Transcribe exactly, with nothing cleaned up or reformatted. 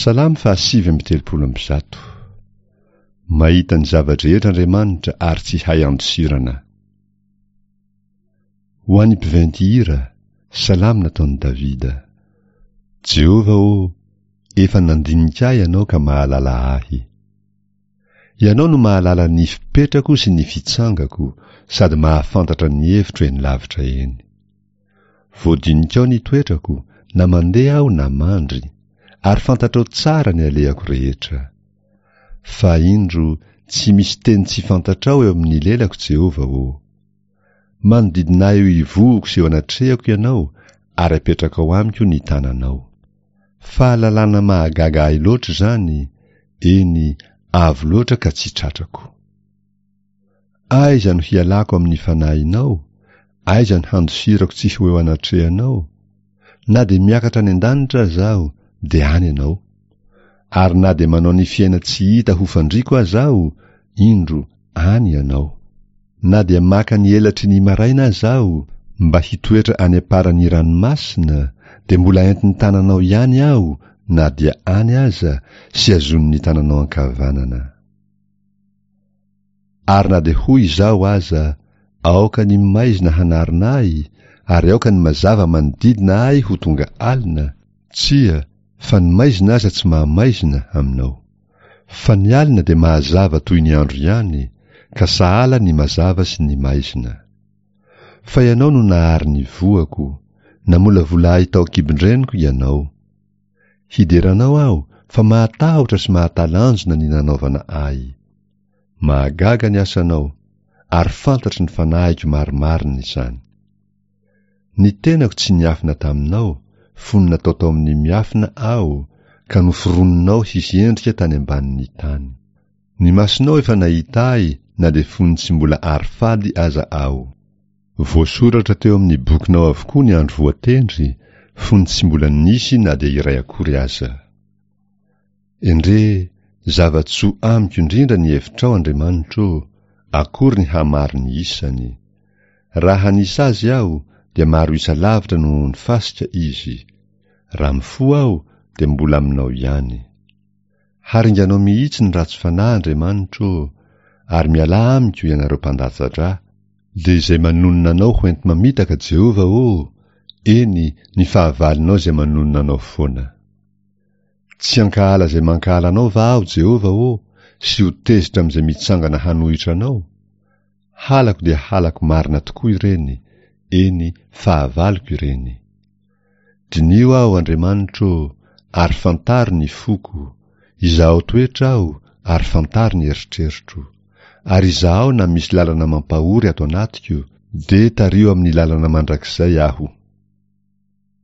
Salamo fahasivy amby telopolo amby zato. Mahita ny zava-drehetra Andriamanitra ary tsy hay andosirana. Ho an'ny mpiventy hira, salamo nataon'i Davida. Jehovah ô, efa nandinika ahy Ianao ka mahalala ahy. Ianao no mahalala ny fipetrako sy ny fitsangako, sady mahafantatra ny hevitro eny lavitra eny. Voadinikao ny toetrako, na mandeha aho na mandry, ary fantatrao tsara ny alehako rehetra. Fa indro, tsy misy teny tsy fantatrao eo amin'ny lelako, Jehovah ô. Manodidina ahy eo ivohoko sy eo anatrehako Ianao, ary apetrakao amiko ny tananao. Fahalalana mahagaga ahy loatra izany, eny, avo loatra ka tsy tratrako. Aiza no hialako amin'ny fanahinao? Aiza no handosirako tsy ho eo anatrehanao? Na dia miakatra any an-danitra aza aho, dia any Ianao. Ary na dia manao ny fiaina-tsy hita ho fandriako aza aho, indro, any Ianao. Na dia maka ny elatry ny maraina aza aho, mba hitoetra any am-paran'ny ranomasina, dia mbola entin'ny tananao ihany aho na dia any aza, sy azonin'ny tananao ankavanana. Ary na dia hoy izaho aza, aoka ny maizina hanarona ahy, ary aoka ny mazava manodidina ahy ho tonga alina, tsia, fa ny maizina aza tsy mahamaizina aminao. Fa ny alina dia mahazava toy ny andro ihany, ka sahala ny mazava sy ny maizina. Fa Ianao no nahary ny voako, namolavola ahy tao an-kibon-dreniko Ianao. Hidera Anao aho, fa mahatahotra sy mahatalanjona ny nanaovana ahy. Mahagaga ny asanao, ary fantatry ny fanahiko marimarina izany. Ny tenako tsy niafina taminao, fony natao tao amin'ny miafina aho, ka noforoninao hisy endrika tany ambanin'ny tany. Ny masonao efa nahita ahy na dia fony tsy mbola ary fady aza aho. Voasoratra teo amin'ny bokinao avokoa ny andro voatendry, fony tsy mbola nisy na dia iray akory aza. Endrey, zava-tsoa amiko indrindra ny hevitrao, Andriamanitro ô, akory ny hamaro ny isany. Raha hanisa azy aho, dia maro isa lavitra noho ny fasika izy. Raha mifoha aho, dia mbola aminao ihany. Haringanao mihitsy ny ratsy fanahy, Andriamanitro ô, ary mialà amiko ianareo mpandatsa-drà, dia izay manonona anao ho enti-mamitaka, Jehovah ô, eny, ny fahavalonao izay manonona anao foana. Tsy hankahala izay mankahala anao va aho, Jehovah ô, sy ho tezitra amin'izay mitsangana hanohitra anao? Halako dia halako marina tokoa ireny, eny, fahavaloko ireny. Diniho aho, Andriamanitro ô, ary fantaro ny foko, izahao toetra aho, ary fantaro ny eritreritro. Ary izahao na misy lalana mampahory ato anatiko, dia tariho amin'ny lalana mandrakizay aho.